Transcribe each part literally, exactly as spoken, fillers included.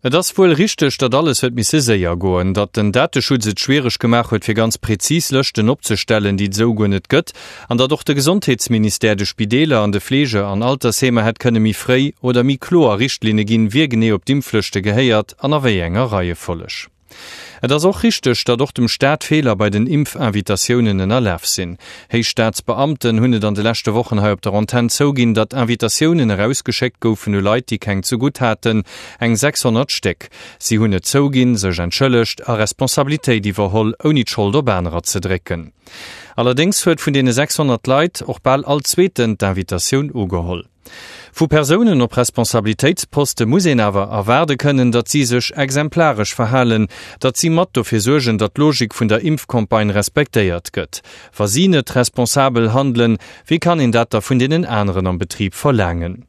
Et ass wuel richteg, datt alles huet misse séier goen, datt den Dateschutz et schwiereg gemaach huet fir ganz präzis Lëschten opzestellen, déi et esou guer net gëtt, an datt och de Gesondheetsministère de Spideeler an de Fleege an Altersheemer hätt kënne méi fréi oder méi kloer Richtlinne ginn, wie genee op d'Impflëschte gehéiert an a wéi enger Reiefolleg. Et ass och richteg, datt och dem Staat Feeler bei den Impfinvitatiounen ënnerlaf sinn. Héich Staatsbeamten hunn et an de leschte Wochen hei op der Antenn zouginn, datt Invitatiounen erausgeschéckt goufen u Leit, déi keng zegutt haten, eng sechshonnert Stéck. Si hunn et zouginn, sech entschëllegt a Responsabilitéit iwwerholl, ouni d'Schold op anerer ze drécken. Allerdéngs huet vun deene sechshonnert Leit och bal all Zweeten d'Invitatioun ugeholl. Vu Persounen op Responsabilitéitsposte muss een awer erwaarde kënnen, datt si sech exemplaresch verhalen, datt si mat dofir suergen, datt d'Logik vun der Impfcampagne respektéiert gëtt. Wa si net responsabel handelen, wéi kann een dat da vun deenen aneren am Betrib verlaangen?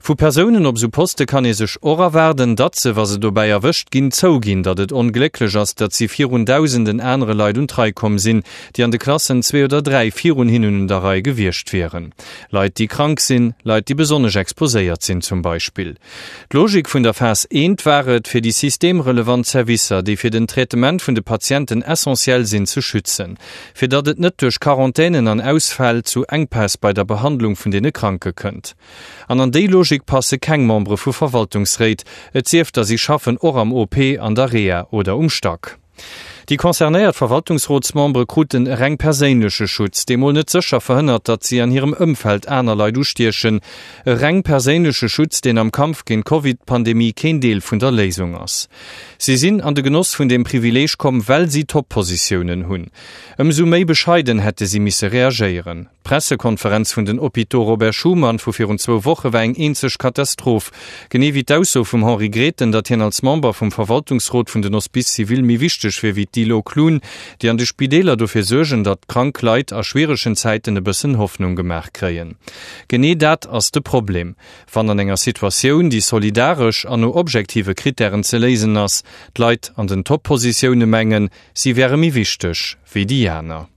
Vu Persounen op esou Poste kann ee sech och erwaarden, datt se, wa se dobäi erwëscht ginn, zouginn, datt et onglécklech ass, datt si virun dausenden anere Leit un d'Rei komm sinn, déi an de Klassen zwee oder dräi virun hinnen un der Rei gewiescht wieren. Leit, déi krank sinn, Leit, déi besonnesch exposéiert sinn zum Beispill. D'Logik vun der Phas eent war et, fir déi systemrelevant Servicer, déi fir den Traitement vun de Patienten essentiell sinn, ze schützen, fir datt et net duerch Quarantänen an Ausfäll zu Enkpäss bei der Behandlung vun deene Kranke kënnt. An an déi Logik passe keng Membere vu Verwaltungsréit, et sief da si schaffen och am O P, an der Reha oder um Stack. Déi concernéiert Verwaltungsrotsmembere kruten e reng perséinleche Schutz, dee mol net sécher verhënnert, datt si an hirem Ëmfeld aner Leit ustiechen. E reng perséinleche Schutz, deen am Kampf géint d'Covid-Pandemie keen Deel vun der Léisung ass. Si sinn an de Genoss vun deem Privileeg komm, well si Top-Positiounen hunn. Ëmsou méi bescheiden hätte si misse reagéieren. D'Pressekonferenz vun den Hôpitaux Robert Schuman vu virun zwou Woche war eng eenzeg Katastroph, genee wéi d'Ausso vum Henri Grethen, datt hien als Member vum Verwaltungsrot vun den Hospices civils méi wichteg wier wéi d'Dilo Klun, déi an de Spideeler dofir suergen, datt krank Leit a schwieregen Zäiten e bëssen Hoffnung gemaach kréien. Genee dat ass de Problem, wann an enger Situatioun, déi solidaresch an no objektive Krittären ze léisen ass, d'Leit an den Top-Positioune mengen, si wäre méi wichteg wéi déi aner.